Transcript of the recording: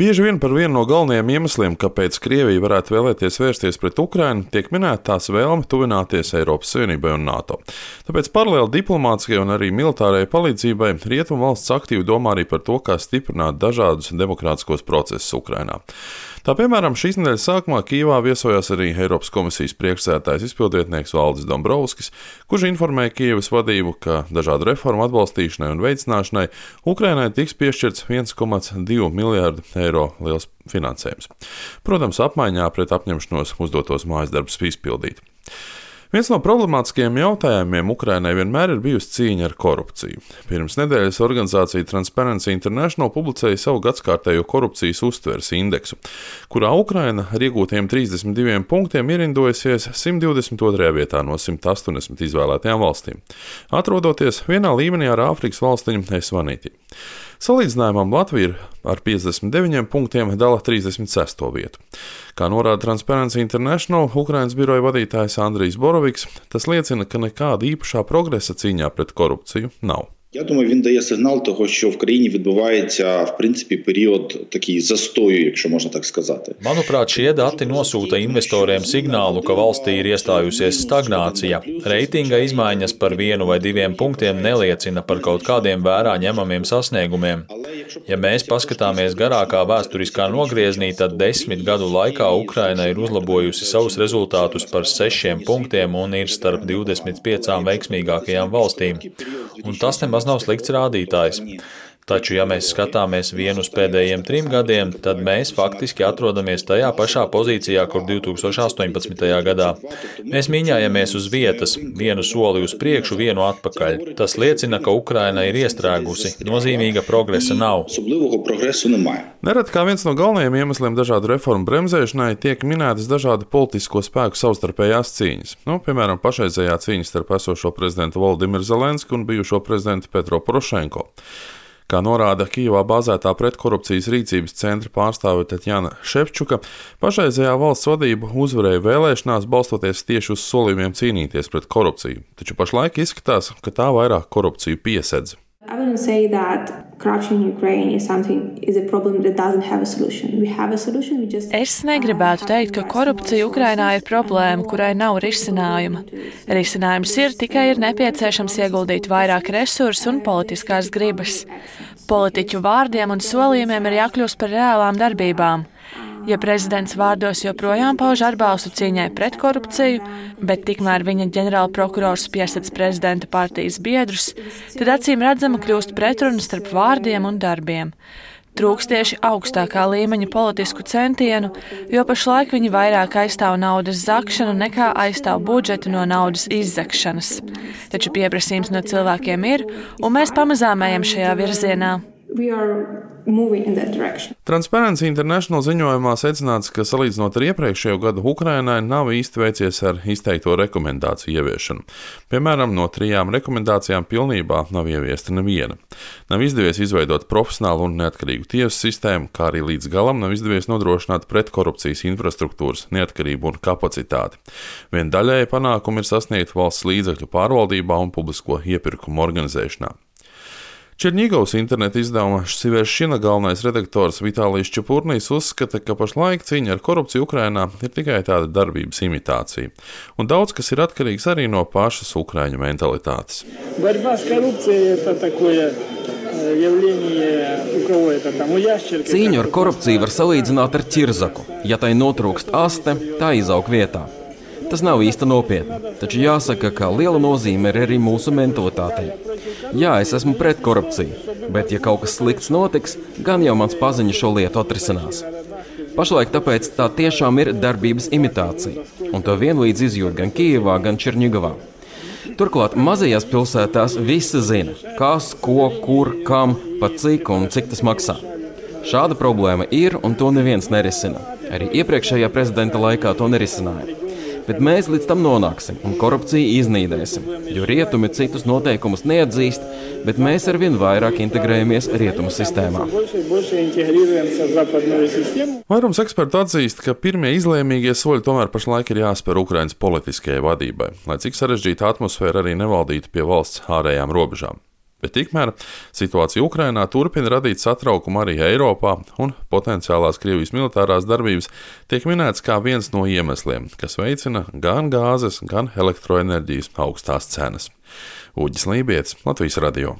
Bieži vien par vienu no galvenajiem iemesliem, kāpēc Krievija varētu vēlēties vērsties pret Ukrainu, tiek minēta tās vēlme tuvināties Eiropas Savienībai un NATO. Tāpēc paralēli diplomātiskajai un arī militārajai palīdzībai Rietumvalsts aktīvi domā arī par to, kā stiprināt dažādus demokrātiskos procesus Ukrainā. Tā piemēram, šīs nedēļas sākumā Kijevā viesojās arī Eiropas komisijas priekšsēdētājs izpildvietnieks Valdis Dombrovskis, kurš informēja Kijevas vadību, ka dažādu reformu atbalstīšanai un veicināšanai Ukrainai tiks piešķirts 1,2 miljārdu eiro liels finansējums. Protams, apmaiņā pret apņemšanos uzdotos mājasdarbus izpildīt. Viens no problemātiskajiem jautājumiem Ukrainai vienmēr ir bijusi cīņa ar korupciju. Pirms nedēļas organizācija Transparency International publicēja savu gadskārtējo korupcijas uztveres indeksu, kurā Ukraina ar iegūtiem 32 punktiem ierindojusies 122. vietā no 180 izvēlētajām valstīm, atrodoties vienā līmenī ar Āfrikas valstiņu Esvanīti. Salīdzinājumam Latvija ar 59 punktiem dala 36. vietu. Kā norāda Transparency International Ukrainas biroja vadītājs Andrijs Boroviks, tas liecina, ka nekāda īpašā progresa cīņā pret korupciju nav. Я думаю, він дає сигнал того, що в країні відбувається, в принципі, період такий застою, якщо можна так сказати. Manuprāt, šie dati nosūta investoriem signālu, ka valstī ir iestājusies stagnācija. Reitinga izmaiņas par 1 vai 2 punktiem neliecina par kaut kādiem vērā ņemamiem sasniegumiem. Ja mēs paskatāmies garākā vēsturiskā nogrieznī, tad 10 gadu laikā Ukraina ir uzlabojusi savus rezultātus par 6 punktiem un ir starp 25 veiksmīgākajām valstīm. Un tas nemaz nav slikts rādītājs. Taču, ja mēs skatāmies vienu uz pēdējiem 3 gadiem, tad mēs faktiski atrodamies tajā pašā pozīcijā, kur 2018. gadā. Mēs mīņājamies uz vietas, vienu soli uz priekšu, vienu atpakaļ. Tas liecina, ka Ukraina ir iestrēgusi. Nozīmīga progresa nav. Nereti kā viens no galvenajiem iemesliem dažādu reformu bremzēšanai tiek minētas dažādu politisko spēku savstarpējās cīņas. Piemēram, pašreizējā cīņa starp esošo prezidentu Volodimiru Zelenski un bijušo prezidentu Petro Porošenko. Kā norāda Kijevā bāzētā pretkorupcijas rīcības centra pārstāve Tatjana Ševčuka, pašreizējā valsts vadība uzvarēja vēlēšanās balstoties tieši uz solījumiem cīnīties pret korupciju, taču pašlaik izskatās, ka tā vairāk korupciju piesedz. I wouldn't say that corruption in Ukraine is a problem that doesn't have a solution. We have a solution, we just... Es negribētu teikt, ka korupcija Ukrainā ir problēma, kurai nav risinājuma. Risinājums tikai ir nepieciešams ieguldīt vairāk resursu un politiskās gribas. Politiķu vārdiem un solījumiem ir jākļūst par reālām darbībām. Ja prezidents vārdos joprojām pauž atbalstu cīņai pret korupciju, bet tikmēr viņa ģenerālprokurors piesedz prezidenta partijas biedrus, tad acīm redzama kļūst pretruna starp vārdiem un darbiem. Trūkst tieši augstākā līmeņa politisku centienu, jo pašlaik viņi vairāk aizstāv naudas zakšanu nekā aizstāv budžetu no naudas izzakšanas. Taču pieprasījums no cilvēkiem ir, un mēs pamazām ejam šajā virzienā. Transparency International ziņojumā secināts, ka salīdzinot ar iepriekšējo gadu Ukrainai nav īsti veicies ar izteikto rekomendāciju ieviešanu. Piemēram, no 3 rekomendācijām pilnībā nav ieviesta neviena. Nav izdevies izveidot profesionālu un neatkarīgu tiesu sistēmu, kā arī līdz galam nav izdevies nodrošināt pretkorupcijas infrastruktūras neatkarību un kapacitāti. Vien daļēji panākumi ir sasniegti valsts līdzekļu pārvaldībā un publisko iepirkumu organizēšanā. Čerņigovas interneta izdevuma Siveršina galvenais redaktors Vitālijs Čepurnijs uzskata, ka pašlaik cīņa ar korupciju Ukrainā ir tikai tāda darbības imitācija, un daudz kas ir atkarīgs arī no pašas ukraiņu mentalitātes. Cīņu ar korupciju var salīdzināt ar ķirzaku. Ja tai notrūkst aste, tā izaug vietā. Tas nav īsti nopietni, taču jāsaka, ka liela nozīme ir arī mūsu mentalitātei. Jā, es esmu pret korupciju, bet ja kaut kas slikts notiks, gan jau mans paziņa šo lietu atrisinās. Pašlaik tāpēc tā tiešām ir darbības imitācija, un to vienlīdz izjūt gan Kijevā, gan Čerņigovā. Turklāt mazajās pilsētās visi zina, kas, ko, kur, kam, pa cik un cik tas maksā. Šāda problēma ir, un to neviens nerisina. Arī iepriekšējā prezidenta laikā to nerisināja. Bet mēs līdz tam nonāksim un korupciju iznīdēsim, jo rietumi citus noteikumus neatzīst, bet mēs arvien vairāk integrējamies rietumu sistēmā. Vairums ekspertu atzīst, ka pirmie izlēmīgie soļi tomēr pašlaik ir jāspēr Ukrainas politiskajai vadībai, lai cik sarežģīta atmosfēra arī nevaldītu pie valsts ārējām robežām. Bet tikmēr situācija Ukrainā turpina radīt satraukumu arī Eiropā, un potenciālās Krievijas militārās darbības tiek minēts kā viens no iemesliem, kas veicina gan gāzes, gan elektroenerģijas augstās cenas. Uģis Lībietis, Latvijas radio.